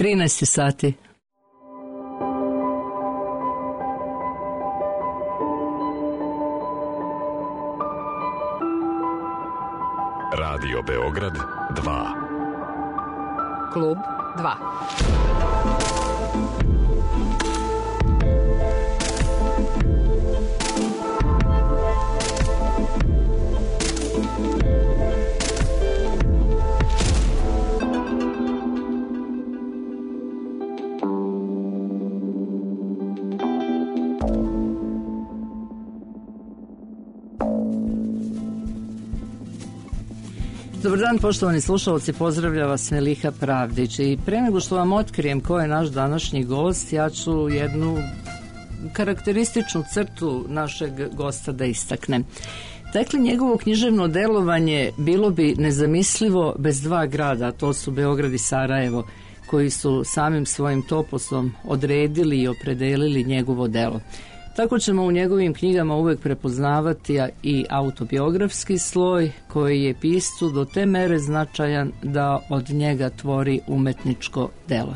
13 sati. Radio Beograd 2. Klub 2. Dobar dan, poštovani slušalci, pozdravlja vas Meliha Pravdić. I pre nego što vam otkrijem ko je naš današnji gost, ja ću jednu karakterističnu crtu našeg gosta da istaknem. Dakle, njegovo književno delovanje bilo bi nezamislivo bez dva grada, a to su Beograd i Sarajevo, koji su samim svojim toposom odredili i opredelili njegovo delo. Tako ćemo u njegovim knjigama uvek prepoznavati i autobiografski sloj koji je piscu do te mere značajan da od njega tvori umetničko delo.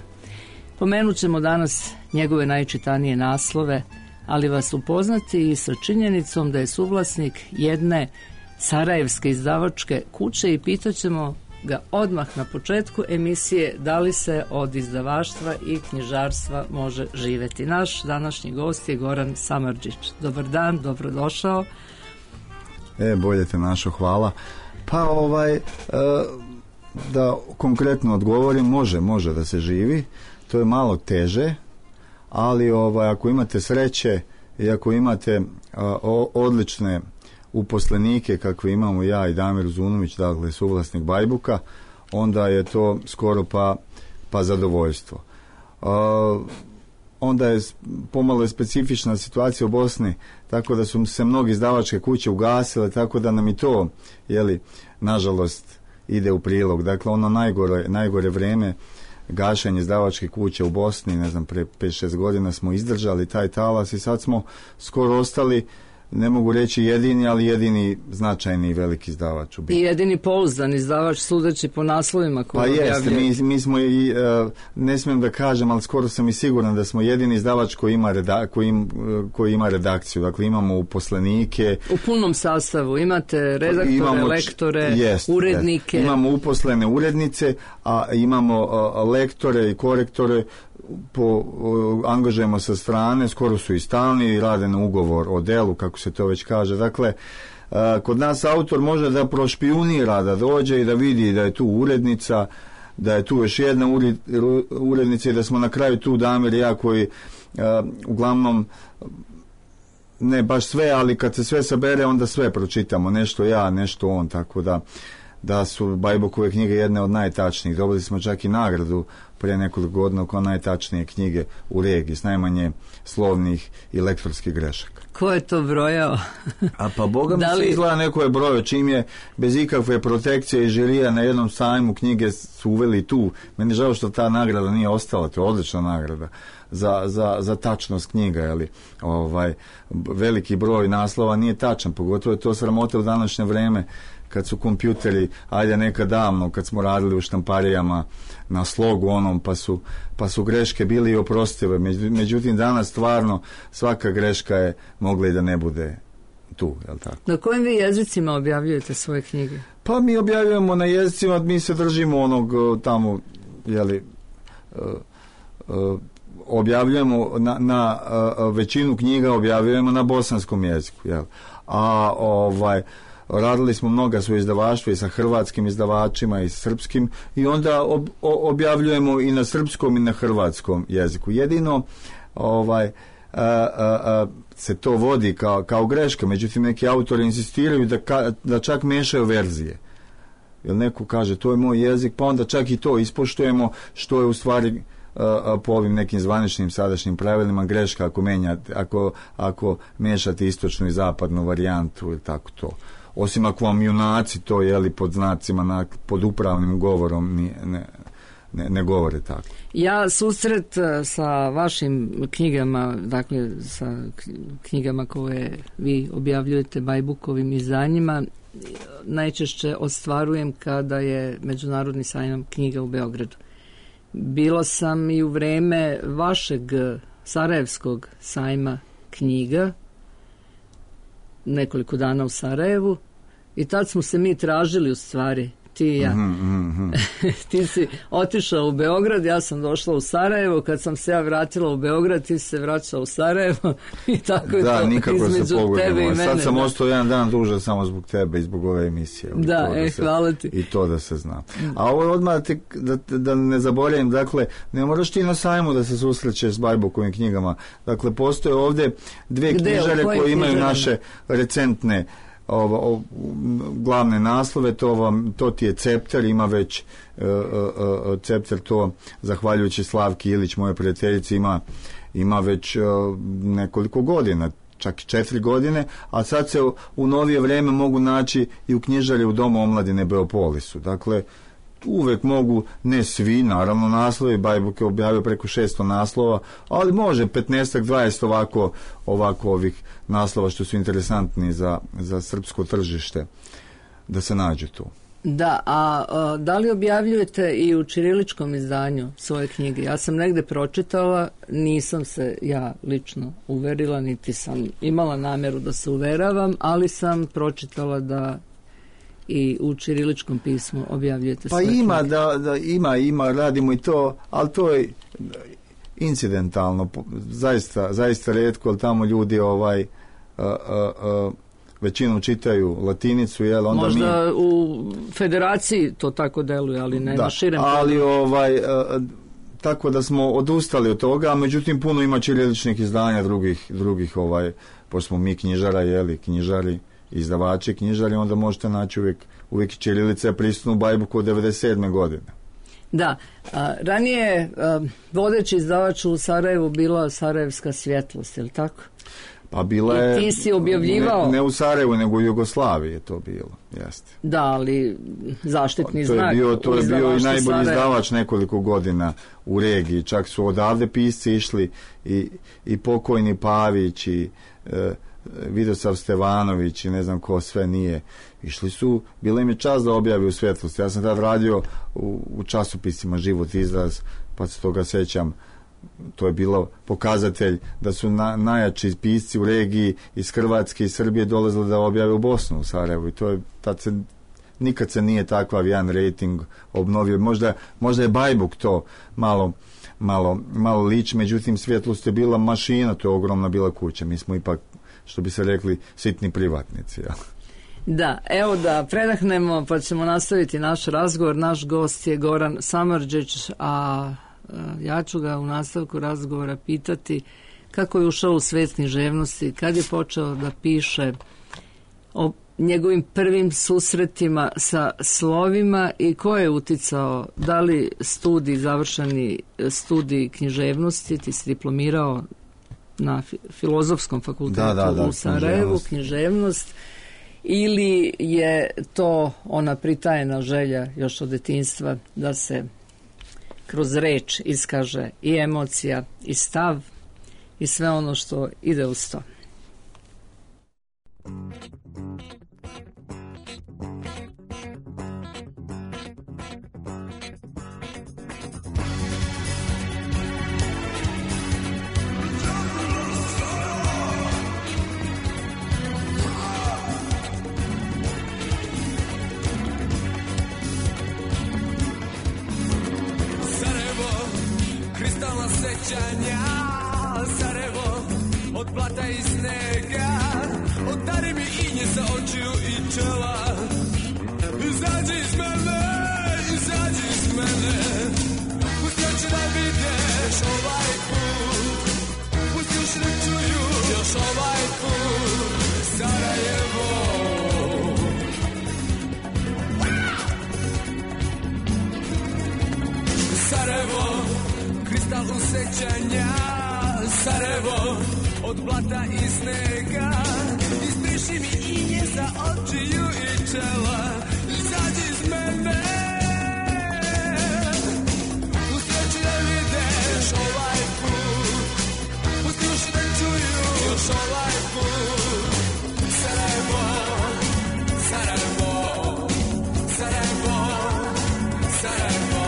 Pomenut ćemo danas njegove najčitanije naslove, ali vas upoznati i sa činjenicom da je suvlasnik jedne sarajevske izdavačke kuće i pitaćemo ga odmah na početku emisije da li se od izdavaštva i knjižarstva može živeti. Naš današnji gost je Goran Samardžić. Dobar dan, dobrodošao. Bolje te našo, hvala. Pa da konkretno odgovorim, može da se živi. To je malo teže, ali ako imate sreće i ako imate odlične uposlenike kakve imamo ja i Damir Uzunović, dakle suvlasnik Bajbuka, onda je to skoro pa zadovoljstvo. Onda je pomalo specifična situacija u Bosni, tako da su se mnogi izdavačke kuće ugasile, tako da nam i to, nažalost, ide u prilog. Dakle, ono najgore vreme gašenje izdavačke kuće u Bosni, ne znam, pre 5-6 godina smo izdržali taj talas i sad smo skoro ostali, ne mogu reći jedini, ali jedini značajni i veliki izdavač. I jedini pouzdan izdavač, sudeći po naslovima koje objavljaju. Pa jeste, mi smo i, ne smijem da kažem, ali skoro sam i siguran da smo jedini izdavač koji ima redakciju. Dakle, imamo uposlenike. U punom sastavu imate redaktore, lektore, urednike. Imamo uposlene urednice, a imamo lektore i korektore, angažujemo sa strane, skoro su i stalni i rade na ugovor o delu, kako se to već kaže. Dakle, kod nas autor može da prošpijunira, da dođe i da vidi da je tu urednica, da je tu još jedna urednica i da smo na kraju tu Damir i ja koji uglavnom ne baš sve, ali kad se sve sabere onda sve pročitamo, nešto ja, nešto on, tako da su Bajbukove knjige jedne od najtačnijih. Dobili smo čak i nagradu prije nekoliko godina kao najtačnije knjige u regiji, s najmanje slovnih i lektorskih grešaka. Ko je to brojao? A pa Boga mi se izgleda neko je brojao, čim je bez ikakve protekcije i žirija na jednom sajmu knjige su uveli tu. Meni je žao što ta nagrada nije ostala, to je odlična nagrada za tačnost knjiga, veliki broj naslova nije tačan, pogotovo je to sramota u današnje vreme kad su kompjuteri, ajde nekad davno, kad smo radili u štamparijama na slogu onom, pa su greške bili i oprostive. Međutim, danas stvarno svaka greška je mogla i da ne bude tu, jel tako? Na kojim vi jezicima objavljujete svoje knjige? Pa mi objavljujemo na jezicima, mi se držimo onog tamo, objavljujemo na većinu knjiga objavljujemo na bosanskom jeziku, jel? Radili smo mnoga su izdavaštva i sa hrvatskim izdavačima i srpskim i onda objavljujemo i na srpskom i na hrvatskom jeziku. Jedino se to vodi kao greška, međutim neki autori insistiraju da čak mešaju verzije. Jer neko kaže to je moj jezik, pa onda čak i to ispoštujemo, što je u stvari po ovim nekim zvaničnim sadašnjim pravilima greška ako mešate istočnu i zapadnu varijantu ili tako to. Osim ako vam junaci to pod znacima pod upravnim govorom ne govore tako. Ja susret sa vašim knjigama, dakle sa knjigama koje vi objavljujete Bajbukovim izdanjima, najčešće ostvarujem kada je Međunarodni sajam knjiga u Beogradu. Bila sam i u vreme vašeg Sarajevskog sajma knjiga, nekoliko dana u Sarajevu, i tad smo se mi tražili u stvari, ti i ja. Ti si otišao u Beograd, ja sam došla u Sarajevo, kad sam se ja vratila u Beograd, ti se vraćao u Sarajevo i tako je to između tebe i mene. Sad sam ostao jedan dan duže samo zbog tebe i zbog ove emisije. Da, hvala ti. I to da se zna. A ovo odmah da ne zaboravim, dakle, ne moraš ti na sajmu da se susrećeš s Bajbukovim knjigama. Dakle, postoje ovdje dvije knjižare koje imaju naše recentne glavne naslove, to ti je Cepter, ima već Cepter, to zahvaljujući Slavki Ilić, moje prijateljici, ima već nekoliko godina, čak 4 godine, a sad se u novije vrijeme mogu naći i u knjižari u Domu omladine Beopolisu. Dakle, uvek mogu, ne svi, naravno, naslovi, Bajbuk je objavio preko 600 naslova, ali može 15-20 ovako ovih naslova što su interesantni za srpsko tržište da se nađu tu. Da, a da li objavljujete i u ćiriličkom izdanju svoje knjige? Ja sam negde pročitala, nisam se ja lično uverila, niti sam imala namjeru da se uveravam, ali sam pročitala da i u ćiriličkom pismu objavljujete svoje knjige. Pa ima, radimo i to, ali to je incidentalno, zaista retko, ali tamo ljudi većinom čitaju latinicu, jel? Onda možda u federaciji to tako deluje, ali ne na širem. Ali tako da smo odustali od toga, a međutim puno ima ćiriličnih izdanja drugih pošto smo mi knjižara, jeli, knjižari, izdavači knjižari, onda možete naći uvijek ćirilica je prisutna u Bajbuku od 97. godine. Da, ranije vodeći izdavač u Sarajevu bila Sarajevska svjetlost, je li tako? Pa bila je, ti si objavljivao ne u Sarajevu, nego u Jugoslaviji je to bilo, jeste. Da, ali zaštitni znak. To je bio i najbolji izdavač nekoliko godina u regiji, čak su odavde pisci išli i pokojni Pavić i Vidosav Stevanović i ne znam ko sve nije. Išli su, bila im je čast da objavi u svjetlosti. Ja sam tad radio u časopisima Život izraz, pa se toga sećam. To je bilo pokazatelj da su najjači pisci u regiji iz Hrvatske i Srbije dolazili da objave u Bosnu, u Sarajevu. I to je, nikad se nije takav jedan rating obnovio. Možda je Bajbuk to malo lič, međutim svjetlost je bila mašina, to je ogromna bila kuća. Mi smo ipak, što bi se rekli, sitni privatnici. Ja. Da, evo da predahnemo pa ćemo nastaviti naš razgovor. Naš gost je Goran Samardžić, a ja ću ga u nastavku razgovora pitati kako je ušao u svijet književnosti, kad je počeo da piše, o njegovim prvim susretima sa slovima i ko je uticao, da li završeni studij književnosti, ti si diplomirao na Filozofskom fakultetu u Sarajevu, književnost, ili je to ona pritajena želja još od detinjstva da se kroz reč iskaže i emocija i stav i sve ono što ide uz to. Sarajevo, od blata i snega, odari mi inje sa očiju i čela. Izađi iz mene, pusti oči da videš ovaj put, pusti uši da čuju još ovaj put. Sarajevo, Sarajevo, kristal usećanja. Sarajevo, od blata i snega, izbriši mi inje sa očiju i čela. Izađi iz mene, pusti oči da videš ovaj put, pusti uši da čuju još ovaj put. Sarajevo, Sarajevo, Sarajevo, Sarajevo.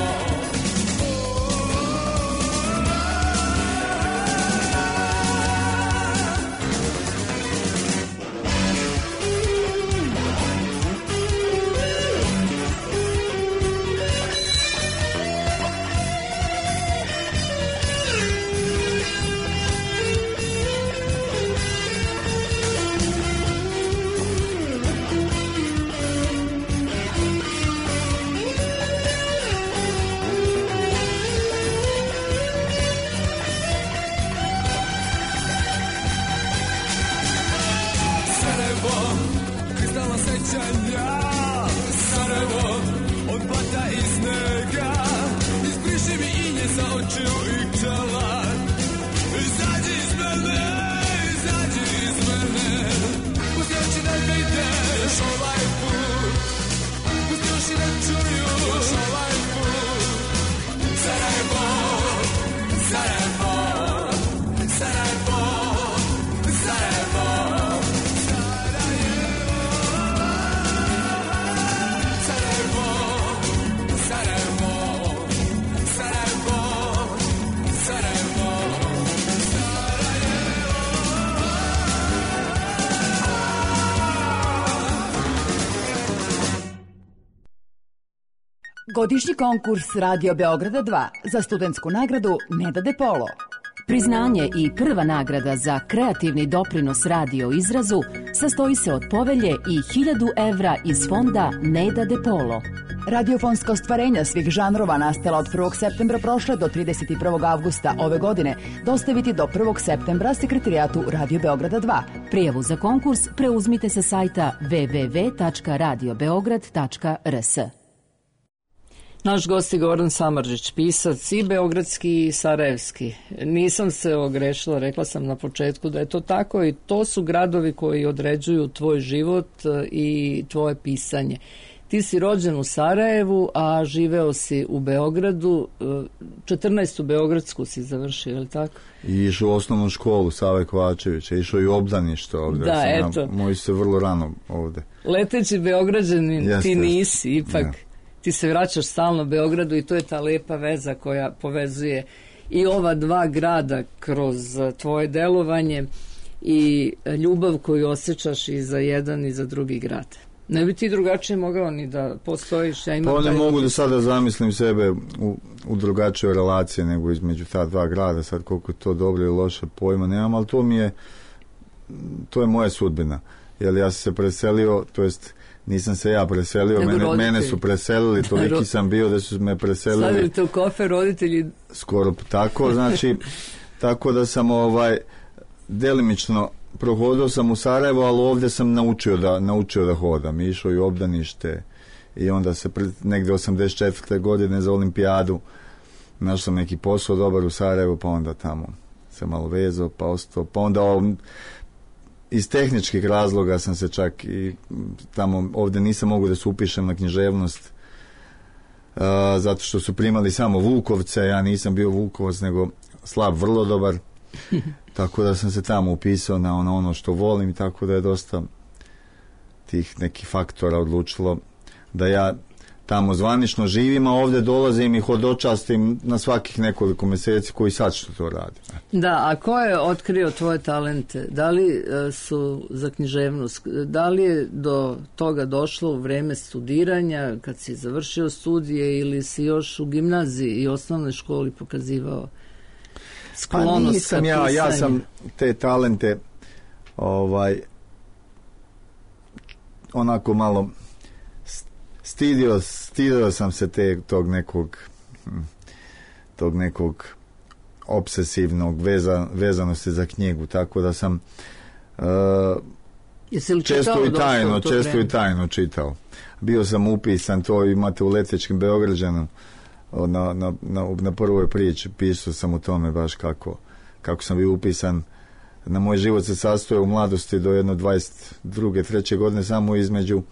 sa očiju i čela. Izađi iz mene, uskači da vidiš ovaj put, uskači da čuju još ovaj put. Sarajevo, Sarajevo, Sarajevo, Sarajevo, Sarajevo, Sarajevo, Sarajevo, Sarajevo, Godišnji konkurs Radio Beograda 2 za studentsku nagradu Neda De Polo. Priznanje i prva nagrada za kreativni doprinos radio izrazu sastoji se od povelje i 1000 evra iz fonda Neda De Polo. Radiofonska ostvarenja svih žanrova nastala od 1. septembra prošle do 31. avgusta ove godine dostaviti do 1. septembra sekretarijatu Radio Beograda 2. Prijavu za konkurs preuzmite sa sajta www.radiobeograd.rs. Naš gost je Goran Samardžić, pisac i beogradski i sarajevski. Nisam se ogrešila, rekla sam na početku da je to tako i to su gradovi koji određuju tvoj život i tvoje pisanje. Ti si rođen u Sarajevu, a živeo si u Beogradu, 14. Beogradsku si završio, je li tako? I išao u osnovnu školu Save Kovačevića, išao i u obdanište ovde. Da, eto. Moji se vrlo rano ovde. Leteći Beograđanin, ti nisi, ipak... Ja. Ti se vraćaš stalno Beogradu i to je ta lepa veza koja povezuje i ova dva grada kroz tvoje delovanje i ljubav koju osjećaš i za jedan i za drugi grad. Ne bi ti drugačije mogao ni da postojiš. Ja imam pa ne mogu da sada zamislim sebe u drugačijoj relaciji nego između ta dva grada. Sad koliko je to dobro ili loše pojma nemam, ali to je moja sudbina. Jer ja sam se preselio, to jest nisam se ja preselio, mene su preselili, toliki sam bio da su me preselili. Stavili te u kofer roditelji? Skoro tako, znači, tako da sam delimično prohodao sam u Sarajevo, ali ovdje sam naučio da hodam. Išao i u obdanište i onda se negdje 84. godine za olimpijadu našao sam neki posao dobar u Sarajevu, pa onda tamo se malo vezao, pa ostao, pa onda iz tehničkih razloga sam se čak i tamo, ovdje nisam mogu da se upišem na književnost zato što su primali samo Vukovce, ja nisam bio Vukovac nego slab, vrlo dobar, tako da sam se tamo upisao na ono što volim, tako da je dosta tih nekih faktora odlučilo da ja tamo zvanično živim, a ovdje dolazim i hodočastim na svakih nekoliko mjeseci koji sad što to radi. Da, a ko je otkrio tvoje talente? Da li su za književnost? Da li je do toga došlo u vreme studiranja, kad si završio studije ili si još u gimnaziji i osnovnoj školi pokazivao sklonost ka pisanju? Pa nisam ja sam te talente onako malo stidio sam se tog nekog obsesivnog vezanosti za knjigu, tako da sam često i tajno čitao. Bio sam upisan, to imate u Letečkim Beograđanu, na prvoj priči pisao sam o tome baš kako sam bio upisan. Na moj život se sastoje u mladosti do jedno 22. 3. godine samo između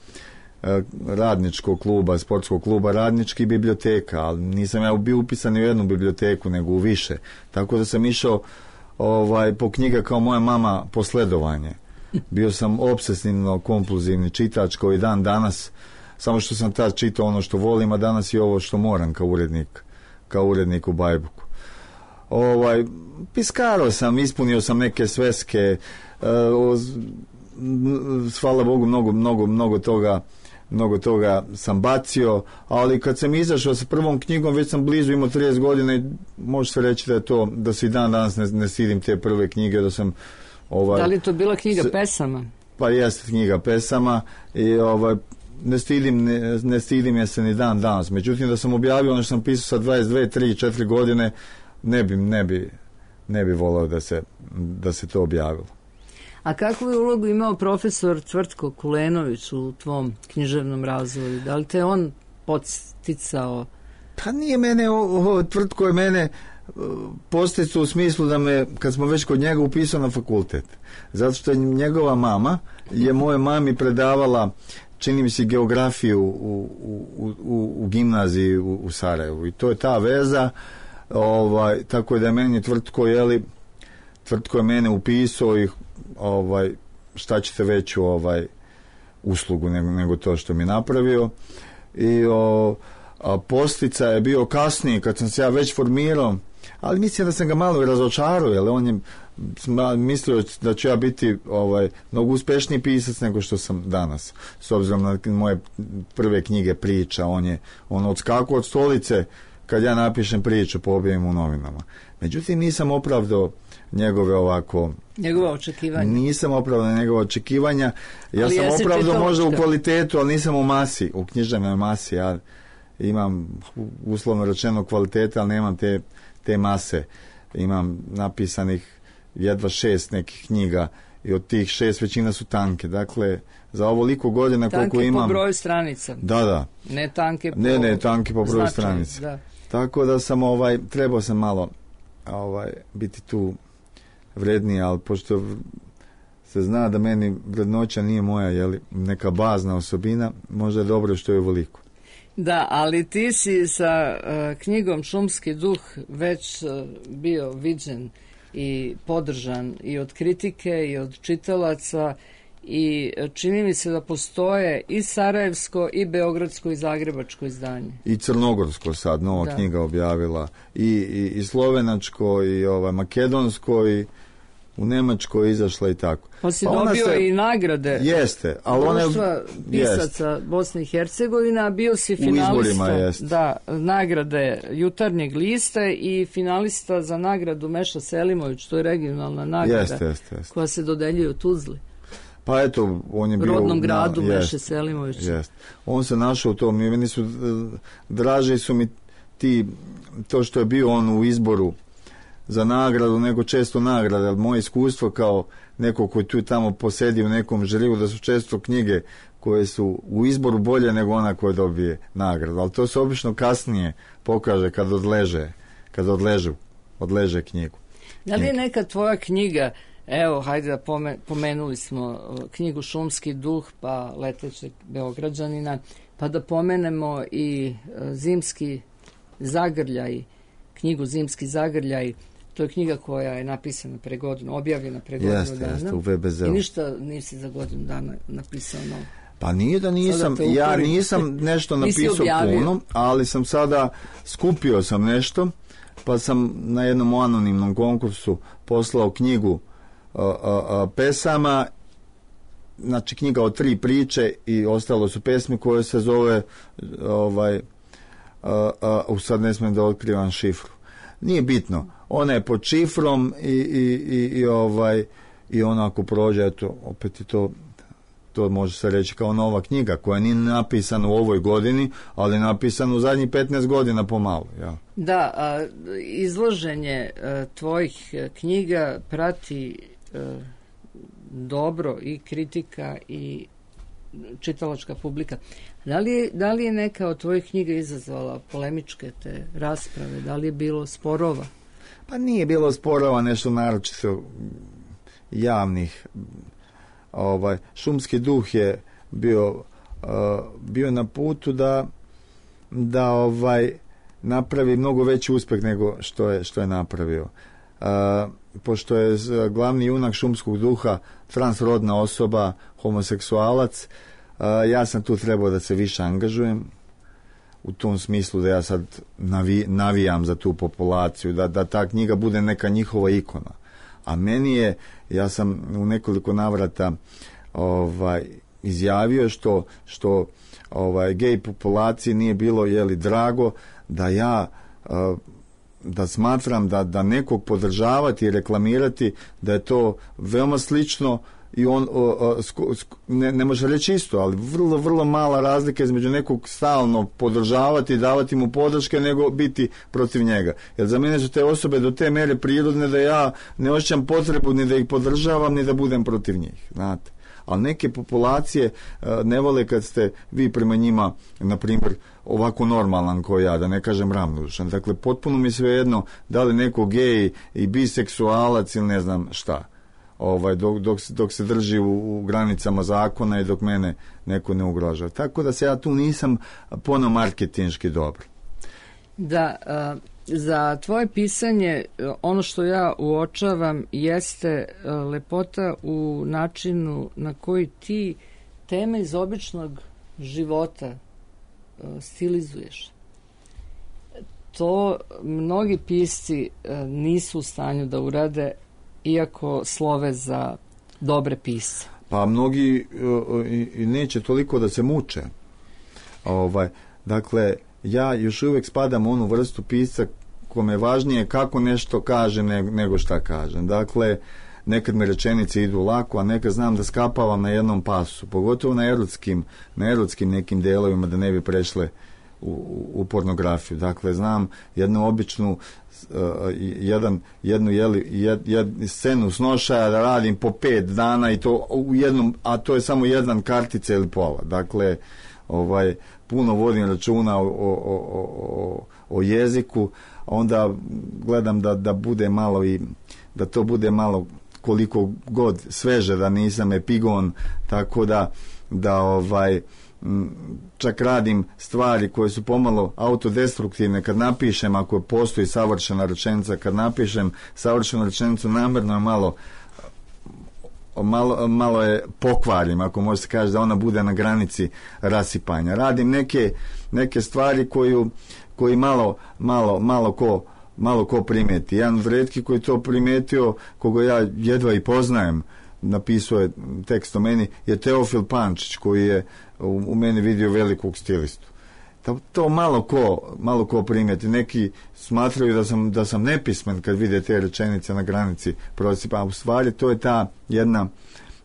radničkog kluba, sportskog kluba Radnički i biblioteka, ali nisam ja bio upisan u jednu biblioteku nego u više, tako da sam išao po knjiga kao moja mama po sledovanje. Bio sam obsesivno kompulzivni čitač koji dan danas, samo što sam tad čitao ono što volim, a danas i ovo što moram kao urednik u Bajbuku. Piskarao sam, ispunio sam neke sveske, hvala Bogu mnogo toga sam bacio, ali kad sam izašao sa prvom knjigom, već sam blizu imao 30 godina i može se reći da se i dan danas ne stidim te prve knjige, da sam Da li je to bila knjiga pesama? Pa jeste knjiga pesama i ne stidim je se ni dan danas. Međutim, da sam objavio ono što sam pisao sa 22, 3, 4 godine, ne bi volao da se to objavilo. A kakvu je ulogu imao profesor Tvrtko Kulenović u tvom književnom razvoju? Da li te on podsticao Pa nije mene, tvrtko je mene posticao u smislu da me, kad smo već kod njega, upisao na fakultet. Zato što je njegova mama je moje mami predavala, čini mi se, geografiju u gimnaziji u Sarajevu. I to je ta veza, tako da je meni tvrtko je mene upisao i šta ćete veću uslugu nego to što mi napravio. I postica je bio kasnije, kad sam se ja već formirao, ali mislim da sam ga malo i razočarao, jer on je mislio da ću ja biti mnogo uspešniji pisac nego što sam danas. S obzirom na moje prve knjige priča, on odskakao od stolice kad ja napišem priču, objavim u novinama. Međutim, nisam opravdao njegova očekivanja. Nisam opravdao njegova očekivanja. Ja sam opravdao možda u kvalitetu, ali nisam u masi, u književnoj masi. Ja imam, uslovno rečeno, kvalitete, ali nemam te mase. Imam napisanih jedva 6 nekih knjiga i od tih 6 većina su tanke. Dakle, za ovoliko godina koliko imam... Tanke po broju stranica. Da. Ne tanke po... Ne, tanke po broju stranica. Da. Tako da sam trebao sam malo biti tu vredniji, ali pošto se zna da meni vrednoća nije moja, neka bazna osobina, možda je dobro što je ovoliko. Da, ali ti si sa knjigom Šumski duh već bio viđen i podržan i od kritike i od čitalaca, i čini mi se da postoje i sarajevsko i beogradsko i zagrebačko izdanje. I crnogorsko sad nova knjiga objavila, i slovenačko i makedonsko, i u Nemačkoj izašla i tako. Pa si dobio i nagrade. Jeste, ali Društva pisaca Bosne i Hercegovina, bio si finalista nagrade Jutarnjeg lista i finalista za nagradu Meša Selimović, to je regionalna nagrada koja se dodeljuje u Tuzli. Pa eto, on je bio rodnom gradu Meše Selimović. On se našao u tom, meni su draži su mi to što je bio on u izboru za nagradu nego često nagrade, ali moje iskustvo kao neko koji tu tamo posedi u nekom žiriju, da su često knjige koje su u izboru bolje nego ona koja dobije nagradu, ali to se obično kasnije pokaže kad odleže knjigu. Da li je neka tvoja knjiga, evo, hajde da pomenuli smo knjigu Šumski duh, pa Letećeg Beograđanina, pa da pomenemo i Zimski zagrljaj, knjigu Zimski zagrljaj. To je knjiga koja je napisana pre godinu, objavljena pre godinu dana. Jeste, u VBZ-u. I ništa nisi za godinu dana napisao novo. Pa nije da nisam, ja nisam nešto napisao puno, ali sam sada skupio sam nešto, pa sam na jednom anonimnom konkursu poslao knjigu pesama, znači knjiga od 3 priče i ostalo su pesme koje se zove sad ne smijem da otkrivam šifru. Nije bitno. Ona je pod šifrom i ona ako prođe, eto, opet je to može se reći kao nova knjiga koja nije napisana u ovoj godini, ali je napisana u zadnjih 15 godina pomalo. Ja. Da, izloženje tvojih knjiga prati dobro i kritika i čitalačka publika. Da li je neka od tvojih knjiga izazvala polemičke te rasprave? Da li je bilo sporova? Pa nije bilo sporova, nešto naročito javnih. Šumski duh je bio na putu da napravi mnogo veći uspjeh nego što je napravio. Pošto je glavni junak Šumskog duha transrodna osoba, homoseksualac, ja sam tu trebao da se više angažujem u tom smislu da ja sad navijam za tu populaciju, da ta knjiga bude neka njihova ikona. A meni je, ja sam u nekoliko navrata izjavio što gej populaciji nije bilo drago da ja da smatram da nekog podržavati i reklamirati, da je to veoma slično i on ne može reći isto, ali vrlo, vrlo mala razlika između nekog stalno podržavati i davati mu podrške nego biti protiv njega. Jer za mene su te osobe do te mere prirodne da ja ne osjećam potrebu ni da ih podržavam ni da budem protiv njih, znate. ali neke populacije ne vole kad ste vi prema njima, na primjer, ovako normalan kao ja, da ne kažem ravnodušan. Dakle, potpuno mi svejedno da li neko gej i biseksualac ili ne znam šta. Dok se drži u granicama zakona i dok mene neko ne ugrožava. Tako da se ja tu nisam puno marketinški dobar. Da, za tvoje pisanje ono što ja uočavam jeste lepota u načinu na koji ti teme iz običnog života stilizuješ. To mnogi pisci nisu u stanju da urade, iako slove za dobre pisce. Pa mnogi i neće toliko da se muče. Dakle, ja još uvijek spadam u onu vrstu pisca kome je važnije kako nešto kaže nego šta kažem. Dakle, nekad mi rečenice idu lako, a nekad znam da skapavam na jednom pasu, pogotovo na erotskim nekim delovima, da ne bi prešle u pornografiju. Dakle, znam jednu običnu jednu scenu snošaja da radim po 5 dana i to u jednom, a to je samo jedan kartica ili pola. Dakle, puno vodim računa o jeziku, onda gledam da bude malo i da to bude malo koliko god sveže, da nisam epigon, tako da čak radim stvari koje su pomalo autodestruktivne. Kad napišem, ako postoji savršena rečenica, kad napišem savršenu rečenicu, namjerno je malo je pokvarim, ako može se kaže, da ona bude na granici rasipanja. Radim neke stvari koji malo ko primeti. Jedan od retki koji to primetio, koga ja jedva i poznajem, napisao je tekst o meni, je Teofil Pančić, koji je u meni vidio velikog stilistu. To malo ko primeti. Neki smatraju da sam nepismen kad vide te rečenice na granici prosipa, a u stvari to je ta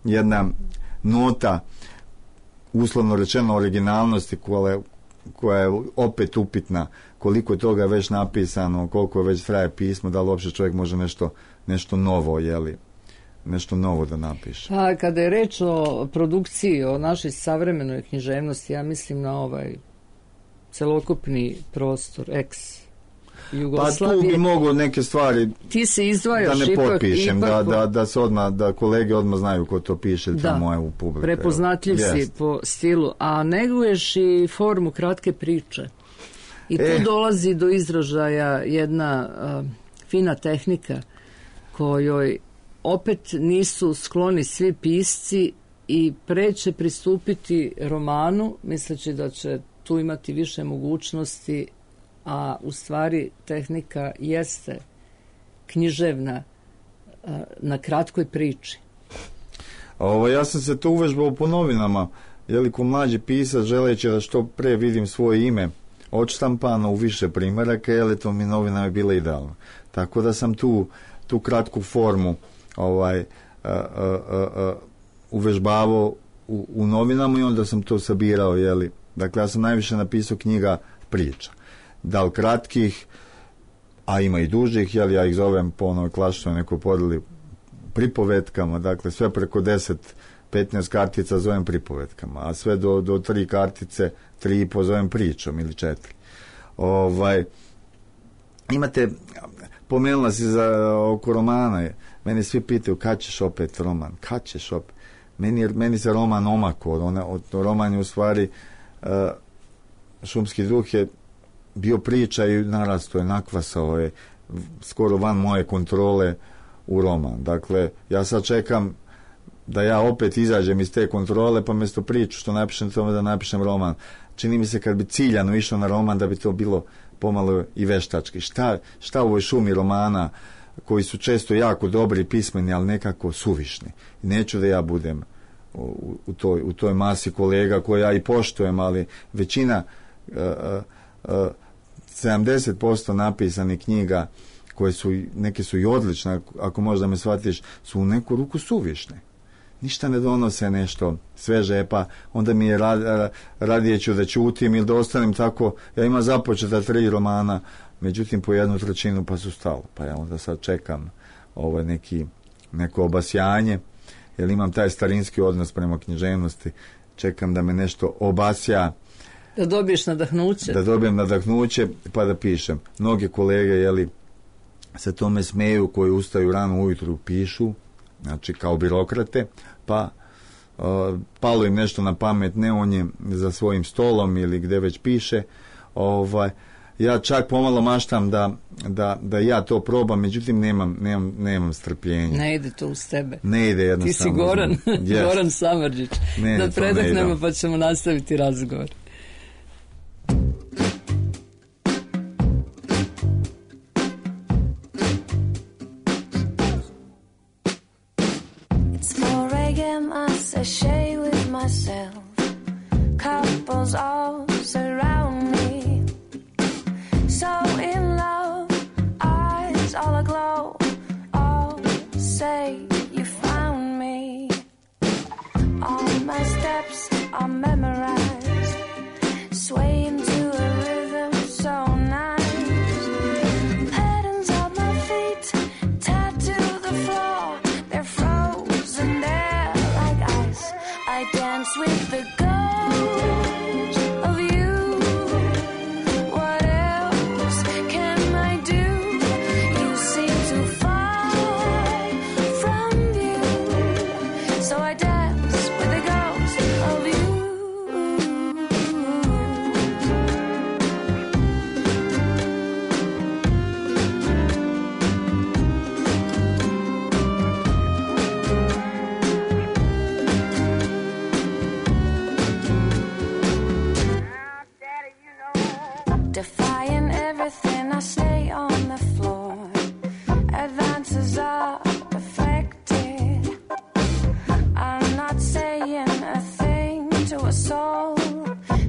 jedna nota, uslovno rečeno, originalnosti koja je opet upitna, koliko je toga već napisano, koliko već traje pismo, da li uopće čovjek može nešto novo, nešto novo da napiše. Pa kada je reč o produkciji, o našoj savremenoj književnosti, ja mislim na celokupni prostor ex-Jugoslavije. Pa tu bi mogo neke stvari ti se izdvajaš da ne potpišem, da se odmah, da kolege odmah znaju ko to piše, ili to moje u publiku. Prepoznatljiv si po stilu, a neguješ i formu kratke priče. I tu dolazi do izražaja jedna fina tehnika kojoj opet nisu skloni svi pisci i pre će pristupiti romanu, misleći da će tu imati više mogućnosti, a u stvari tehnika jeste književna na kratkoj priči. Ja sam se to uvežbao po novinama, ko mlađi pisac, želeći da što pre vidim svoje ime odštampano u više primjeraka, to mi novinama je bilo idealno. Tako da sam tu kratku formu uvežbavao u novinama i onda sam to sabirao, Dakle, ja sam najviše napisao knjiga priča. Da li kratkih, a ima i dužih, ja ih zovem po onoj klasičnoj nekoj podeli pripovetkama, dakle sve preko 10-15 kartica zovem pripovetkama, a sve do 3 kartice, 3,5 zovem pričom ili 4. Imate, pomenula si oko romana, meni svi pitaju kad ćeš opet roman, kad ćeš opet. Meni se roman omako, roman je u stvari Šumski duh je bio priča i narasto je, nakvasao je skoro van moje kontrole u roman. Dakle, ja sad čekam da ja opet izađem iz te kontrole, pa mjesto priču što napišem tome da napišem roman. Čini mi se kad bi ciljano išao na roman da bi to bilo pomalo i veštački. Šta u ovoj šumi romana koji su često jako dobri pismeni, ali nekako suvišni. I neću da ja budem u toj masi kolega koje ja i poštujem, ali većina 70% napisanih knjiga koje su, neke su i odlične, ako možda me shvatiš, su u neku ruku suvišne. Ništa ne donose nešto sveže, pa onda mi je radije ću da ćutim ili da ostanem tako. Ja imam započeta 3 romana, međutim po 1/3 pa su stalo. Pa ja onda sad čekam neko obasjanje, jer imam taj starinski odnos prema književnosti, čekam da me nešto obasja, da dobiješ nadahnuće. Da dobijem nadahnuće pa da pišem. Mnoge kolege se tome smeju, koji ustaju rano ujutru pišu, znači kao birokrate, pa palo im nešto na pamet, ne on je za svojim stolom ili gde već piše. Ja čak pomalo maštam da ja to probam, međutim nemam strpljenja. Ne ide to uz tebe. Ne ide jednostavno. Ti si Goran, yes. Goran Samardžić. Da predahnemo pa ćemo nastaviti razgovor. Sashay with myself, couples all surround me, so in love, eyes all aglow, all say you found me. All my steps are memorized, swaying to a rhythm so nice. Patterns of my feet tattoo the floor, they're frozen there. I dance with the ghost of you. What else can I do? You seem too far from you, so I dance with the ghost of you. Defying everything, I stay on the floor. Advances are perfected. I'm not saying a thing to a soul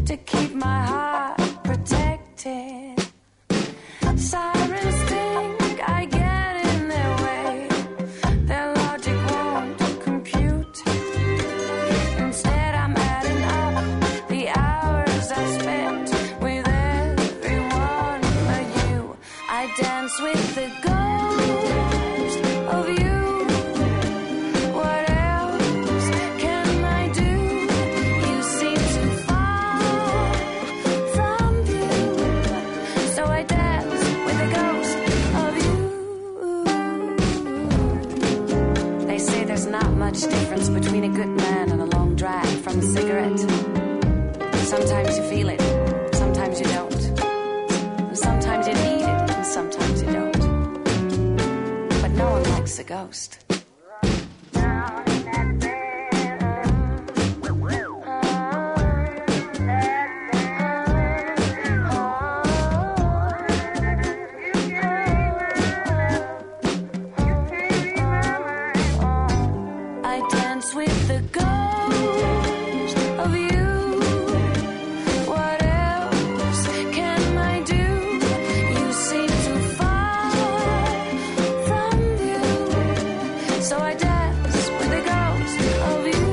to keep my heart protected. Sirens think I get in their way. Their logic won't compute. Instead, I'm adding up the hours I spent with everyone but you. I dance with the ghost of you. What else can I do? You seem too far from you, so I dance with the ghost of you. They say there's not much difference between a good man and a long drag from a cigarette. Sometimes you feel it, sometimes you don't. Sometimes you need it, and sometimes you don't. But no one likes a ghost. I dance with the ghost of you. What else can I do? You seem too far from you, so I dance with the ghost of you.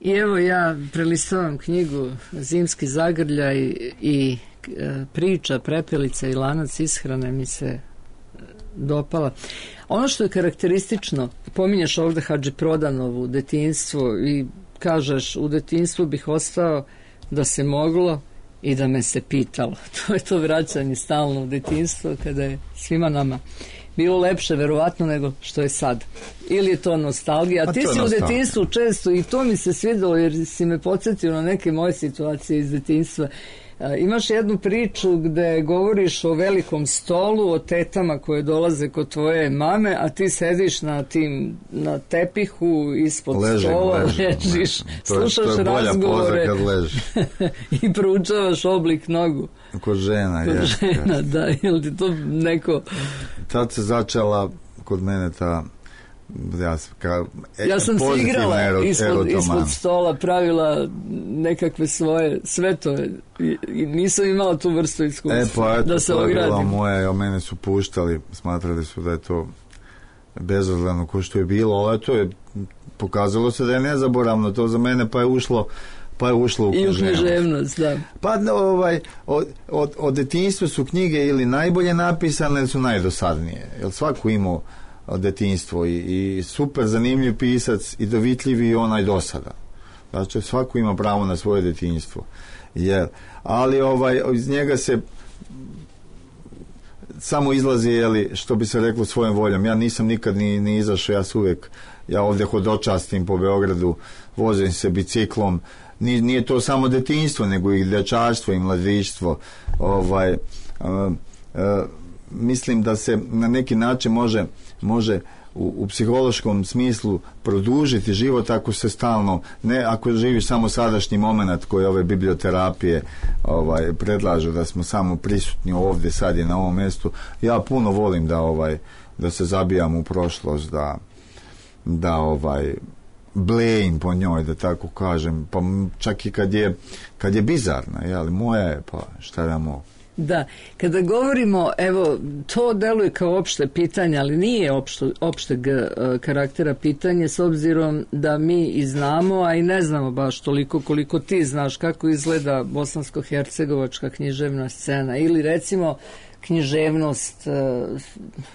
I evo ja prelistavam knjigu Zimski zagrljaj i priča Prepelica i lanac ishrane mi se dopala. Ono što je karakteristično, pominješ ovde Hadži Prodanovu, detinjstvo, i kažeš u detinjstvu bih ostao da se moglo i da me se pitalo. To je to vraćanje stalno u detinjstvo kada je svima nama bilo lepše verovatno nego što je sad. Ili je to nostalgija. A ti si u detinjstvu često, i to mi se svidelo jer si me podsjetio na neke moje situacije iz detinjstva. Imaš jednu priču gde govoriš o velikom stolu, o tetama koje dolaze kod tvoje mame, a ti sediš na tepihu ispod stola, ležiš, slušaš razgovore i proučavaš oblik nogu. Kod žena, da, ili ti to neko... Tad se začela kod mene ta Ja sam se pozitivna igrala ispod erotoman. stola, pravila nekakve svoje svetove i nisam imala tu vrstu iskustva Pa eto, da se to je bilo ogradim. moje, mene su puštali, smatrali su da je to bezazleno ko što je bilo, ali to je pokazalo se da je nezaboravno to za mene, pa je ušlo u I u književnost. književnost, da. Pa od detinjstva su knjige ili najbolje napisane ili su najdosadnije, jer svako imao detinjstvo i super zanimljiv pisac i dovitljivi i onaj dosada. Znači svako ima pravo na svoje detinjstvo. Ali iz njega se samo izlazi, što bi se reklo, svojom voljom. Ja nisam nikad ni izašao, ja ovdje hodočastim po Beogradu, vozim se biciklom. Nije to samo detinjstvo, nego i dječaštvo i mladištvo. Mislim da se na neki način može u psihološkom smislu produžiti život ako se stalno, ne ako živiš samo sadašnji moment koji ove biblioterapije predlažu da smo samo prisutni ovdje, sad je na ovom mjestu. Ja puno volim da se zabijam u prošlost, da blejim po njoj, da tako kažem, pa čak i kad je bizarna, moja je, pa šta da mogu. Da, kada govorimo, evo, to deluje kao opšte pitanje, ali nije opšteg karaktera pitanje, s obzirom da mi i znamo, a i ne znamo baš toliko koliko ti znaš kako izgleda bosansko-hercegovačka književna scena, ili recimo književnost,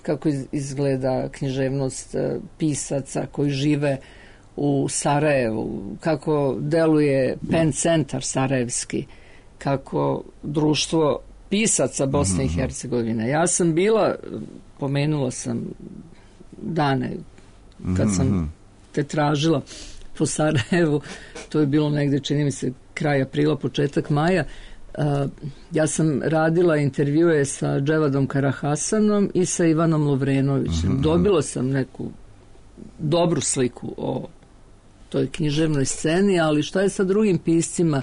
kako izgleda književnost pisaca koji žive u Sarajevu, kako deluje Pen centar sarajevski, kako društvo pisaca Bosne i Hercegovine. Ja sam bila, pomenula sam dane kad sam te tražila po Sarajevu, to je bilo negde, čini mi se, kraj aprila, početak maja. Ja sam radila intervjue sa Dževadom Karahasanom i sa Ivanom Lovrenovićem. Dobila sam neku dobru sliku o toj književnoj sceni, ali šta je sa drugim piscima?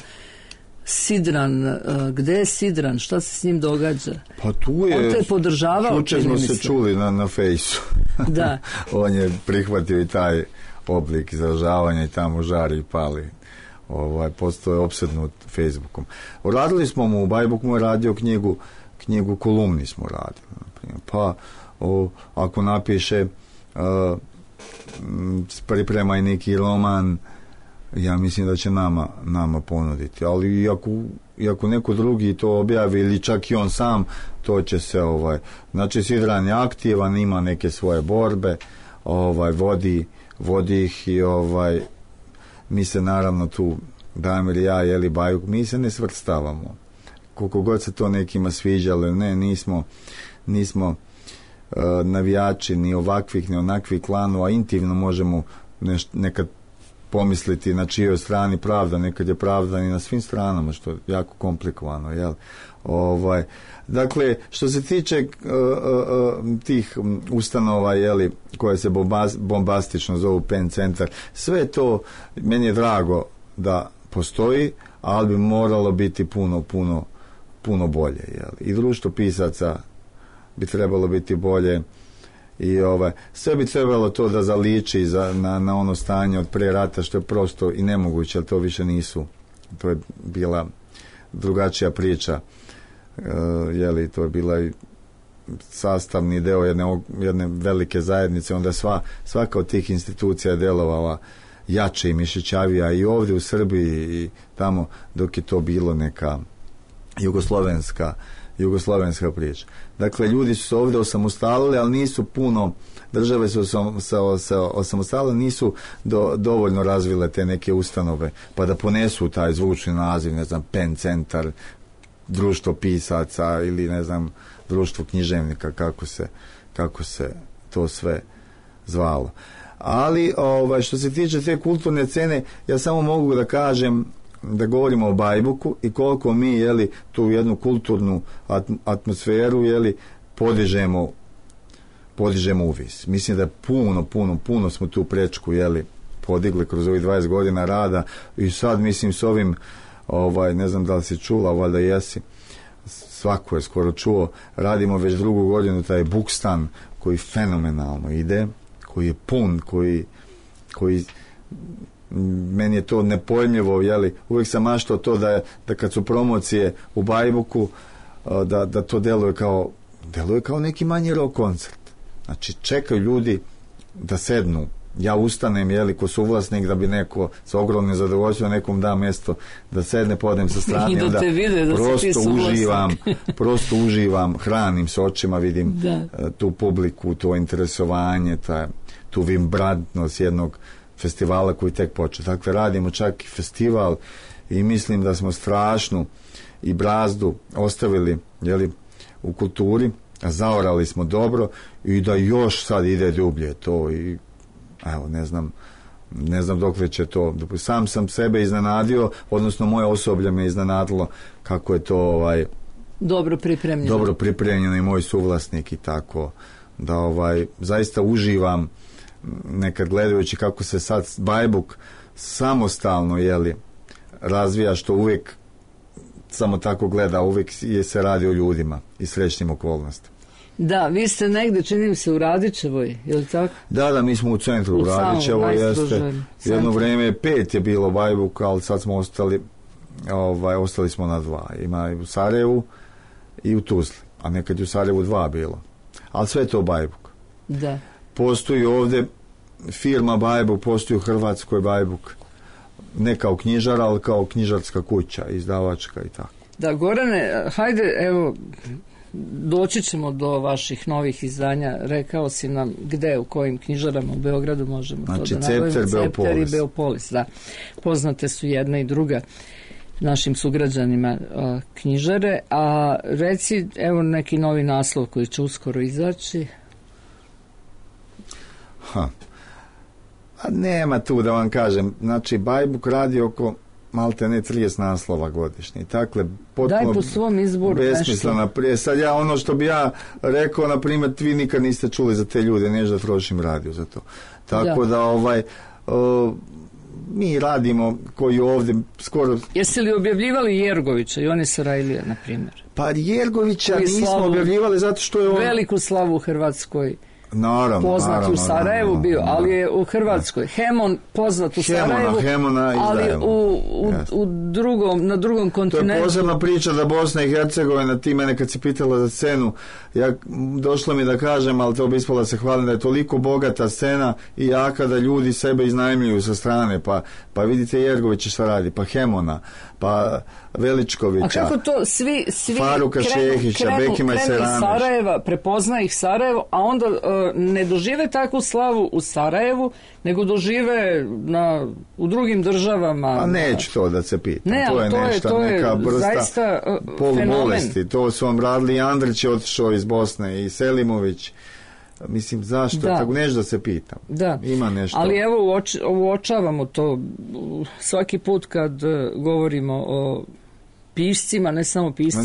Sidran, gde je Sidran? Šta se s njim događa? Pa tu je. On te je podržavao, jučer smo se čuli na fejsu. Da. On je prihvatio i taj oblik izražavanja i tamo žari i pali. Postoje opsednut Facebookom. Radili smo mu, Bajbuk mu je radio knjigu kolumni smo radili. Naprimjer. Pa ako napiše priprema i neki roman, ja mislim da će nama ponuditi, ali iako neko drugi to objavi ili čak i on sam, to će se znači Sidran je aktivan, ima neke svoje borbe, vodi ih i mi se naravno tu, Damir, ja, Bajuk, mi se ne svrstavamo. Koliko god se to nekima sviđalo, ne, nismo navijači ni ovakvih ni onakvih klanova, intimno možemo nekad pomisliti na čijoj strani pravda, nekad je pravda i na svim stranama, što je jako komplikovano, jel? Dakle, što se tiče tih ustanova, koje se bombastično zovu Pen centar, sve to meni je drago da postoji, ali bi moralo biti puno bolje, jel? I društvo pisaca bi trebalo biti bolje i sve bi trebalo to da zaliči na ono stanje od pre rata, što je prosto i nemoguće, ali to više nisu, to je bila drugačija priča, to je bila i sastavni deo jedne velike zajednice, onda svaka od tih institucija je delovala jače i mišićavija i ovdje u Srbiji i tamo, dok je to bilo neka jugoslovenska priča. Dakle, ljudi su se ovdje osamostalili, ali nisu puno, države su se osamostalile, nisu dovoljno razvile te neke ustanove, pa da ponesu taj zvučni naziv, ne znam, Pen centar, društvo pisaca ili ne znam, društvo književnika, kako se to sve zvalo. Ali što se tiče te kulturne scene, ja samo mogu da kažem, da govorimo o Bajbuku i koliko mi tu jednu kulturnu atmosferu podižemo uvis. Mislim da je puno smo tu prečku podigli kroz ovih 20 godina rada i sad mislim s ovim ne znam da li si čula, valjda jesi, svako je skoro čuo, radimo već drugu godinu taj Bukstan koji fenomenalno ide, koji je pun, koji meni je to nepojmljivo, jeli, uvijek sam maštao to da kad su promocije u Bajbuku, da to deluje kao neki manji rock koncert. Znači, čekaju ljudi da sednu, ja ustanem, jeli, ko suvlasnik, da bi neko sa ogromnim zadovoljstvom nekom da mjesto da sedne, podem sa strane, i da te vide da si ti suvlasnik. prosto uživam, hranim se očima, vidim tu publiku, to interesovanje, tu vibrantnost jednog festivala koji tek počeo. Dakle, radimo čak i festival i mislim da smo strašnu i brazdu ostavili, jeli, u kulturi, zaorali smo dobro i da još sad ide dublje to i evo, ne znam dokle će to. Sam sam sebe iznenadio, odnosno moje osoblje me iznenadilo kako je to dobro pripremljeno i moj suvlasnik i tako da zaista uživam nekad gledajući kako se sad Bajbuk samostalno, jeli, razvija, što uvijek samo tako gleda, uvijek se radi o ljudima i srećnim okolnostima. Da, vi ste negde, čini mi se, u Radičevoj, je li tako? Da, mi smo u centru u Radičevoj, jeste. Jedno vrijeme 5 je bilo Bajbuk, ali sad smo ostali smo na 2. Ima i u Sarajevu i u Tuzli, a nekad je u Sarajevu 2 bilo. Ali sve je to Bajbuk. Da. Postoji ovdje firma Bajbuk, postoji u Hrvatskoj Bajbuk, ne kao knjižara, ali kao knjižarska kuća, izdavačka i tako. Da, Gorane, hajde, evo, doći ćemo do vaših novih izdanja. Rekao si nam gde, u kojim knjižarama u Beogradu možemo to da nabavimo. Cepter i Beopolis, da. Poznate su jedna i druga našim sugrađanima knjižare. A reci, evo, neki novi naslov koji će uskoro izaći. A nema tu da vam kažem. Znači, Bajbuk radi oko malte ne 30 naslova godišnje. Dakle, potpuno daj po svom izboru besmislena prije. Sad ja, ono što bi ja rekao, na primjer, vi nikad niste čuli za te ljude, než da trošim radio za to. Tako da mi radimo koji ovdje skoro... Jeste li objavljivali Jergovića i oni Sarajlija, na primjer? Pa Jergovića nismo objavljivali zato što je on... Veliku slavu u Hrvatskoj. Naravno, poznat u Sarajevu bio, ali je u Hrvatskoj. Hemon poznat u Sarajevu, ali na drugom kontinentu. To je posebna priča da Bosna i Hercegovina, ti mene kad si pitala za scenu, došlo mi da kažem, ali to bi ispalo da se hvalim, da je toliko bogata scena i jaka da ljudi sebe iznajmljuju sa strane, pa vidite Jergovića šta radi, pa Hemona, pa Veličkovića, a kako to svi Faruka Šehića, Bekima i Seranić. Iz Sarajeva, prepozna ih Sarajevo, a onda ne dožive takvu slavu u Sarajevu, nego dožive u drugim državama. A neću to da se pitam. Ne, to je neka vrsta polubolesti. To su vam radili i Andrić je otišao iz Bosne i Selimović. Mislim, zašto? Tako nešto da se pitam. Da. Ima nešto. Ali evo, uočavamo to svaki put kad govorimo o piscima, ne samo piscima,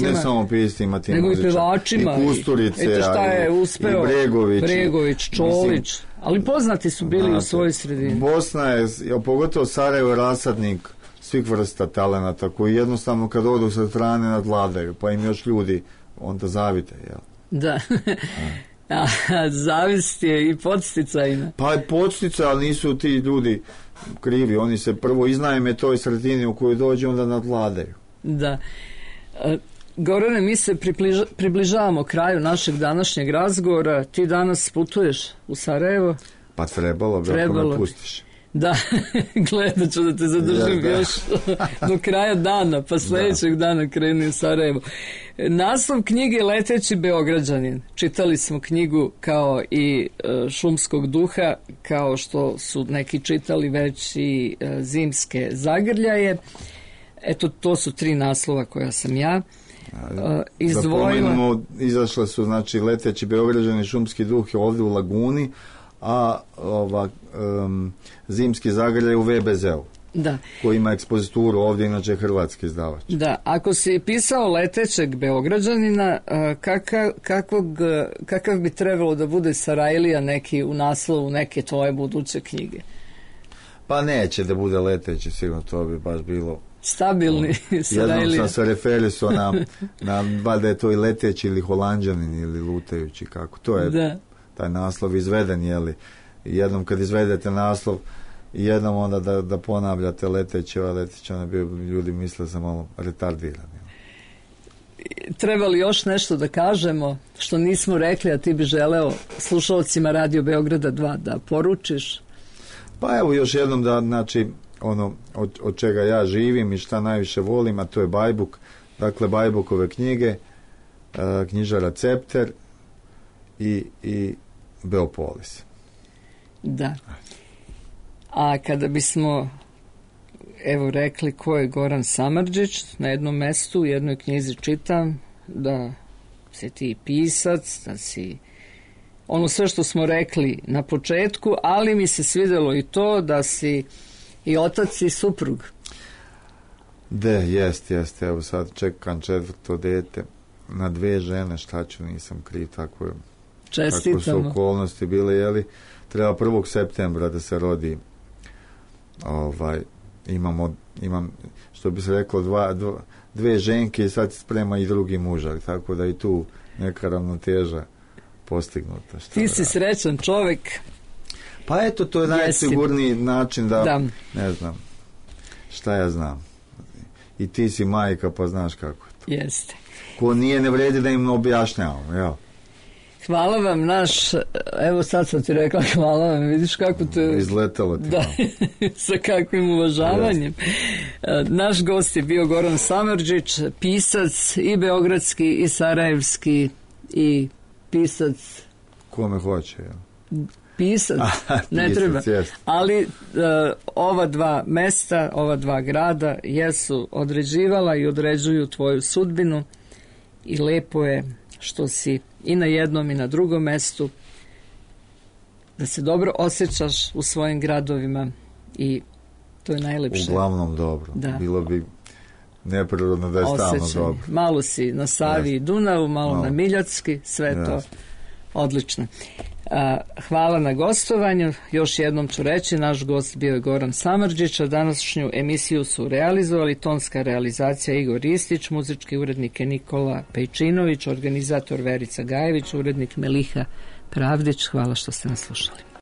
ti nego i pevačima, i Kusturice, eto šta je uspeo Bregović, Čolić, ali poznati su bili u svojoj sredini. Bosna je, pogotovo Sarajevo, je rasadnik svih vrsta talenata koji jednostavno kad odu sa strane nadvladaju, pa im još ljudi onda zavide, jel? Da. Zavist je i podsticajna. Pa je podsticaj, ali nisu ti ljudi krivi, oni se prvo iznajme toj sredini u kojoj dođe, onda nadvladaju. Da. Gorane, mi se približavamo kraju našeg današnjeg razgovora. Ti danas putuješ u Sarajevo? Pa trebalo bi, ako me pustiš. Da, gledat ću da te zadržim još do kraja dana, pa sljedećeg dana kreni u Sarajevo. Naslov knjige Leteći Beograđanin. Čitali smo knjigu kao i Šumskog duha, kao što su neki čitali već i Zimske zagrljaje. Eto, to su 3 naslova koja sam ja izdvojila. Izašle su, znači, Leteći Beograđanin, Šumski duh je ovdje u Laguni, a Zimski zagrljaj u VBZ-u. Da. Koji ima ekspozituru ovdje, inače hrvatski izdavač. Da, ako si pisao Letećeg Beograđanina, kakav bi trebalo da bude Sarajlija neki u naslovu neke tvoje buduće knjige? Pa neće da bude Leteći, sigurno to bi baš bilo stabilni Sarajlija. Jednom sam se referisao na valjda je to i Leteći ili Holanđanin ili Lutajući, kako to je taj naslov izveden, jeli, jednom kad izvedete naslov i jednom onda da ponavljate leteći, onda bi ljudi misle sam malo retardiran. Treba li još nešto da kažemo što nismo rekli, a ti bi želeo slušalcima Radio Beograda 2 da poručiš? Pa evo još jednom da, znači, ono od čega ja živim i šta najviše volim, a to je Bajbuk, dakle Bajbukove knjige, knjižara Cepter i Beopolis. Da. A kada bismo evo rekli ko je Goran Samardžić, na jednom mestu u jednoj knjizi čitam da si ti pisac, da si ono sve što smo rekli na početku, ali mi se svidjelo i to da si i otac i suprug. Jest, evo sad čekam 4. dete na 2 žene, šta ću, nisam kriv, tako je. Čestitamo. Tako su okolnosti bile, jeli, treba 1. septembra da se rodi, imam, što bi se reklo, 2 ženke i sad sprema i drugi mužar, tako da i tu neka ravnoteža postignuta. Ti si srećan čovjek. Pa eto, to je najsigurniji način da, ne znam, šta ja znam. I ti si majka, pa znaš kako je to. Jeste. Ko nije, ne vredi da im objašnjavamo, jel? Hvala vam evo sad sam ti rekla hvala vam, vidiš kako te... Izletalo ti. Da, sa kakvim uvažavanjem. Naš gost je bio Goran Samardžić, pisac i beogradski i sarajevski i pisac... Kome hoće, jel? Pisac, ne treba. Jest. Ali ova 2 mesta, ova 2 grada jesu određivala i određuju tvoju sudbinu i lepo je što si i na jednom i na drugom mestu, da se dobro osjećaš u svojim gradovima i to je najlepše. Uglavnom dobro. Da. Bilo bi neprirodno da je stalno dobro. Malo si na Savi i Dunavu, malo na Miljacki, sve to odlično. Hvala na gostovanju. Još jednom ću reći, naš gost bio je Goran Samardžić, a današnju emisiju su realizovali tonska realizacija Igor Ristić, muzički urednik je Nikola Pejčinović, organizator Verica Gajević, urednik Meliha Pravdić. Hvala što ste nas slušali.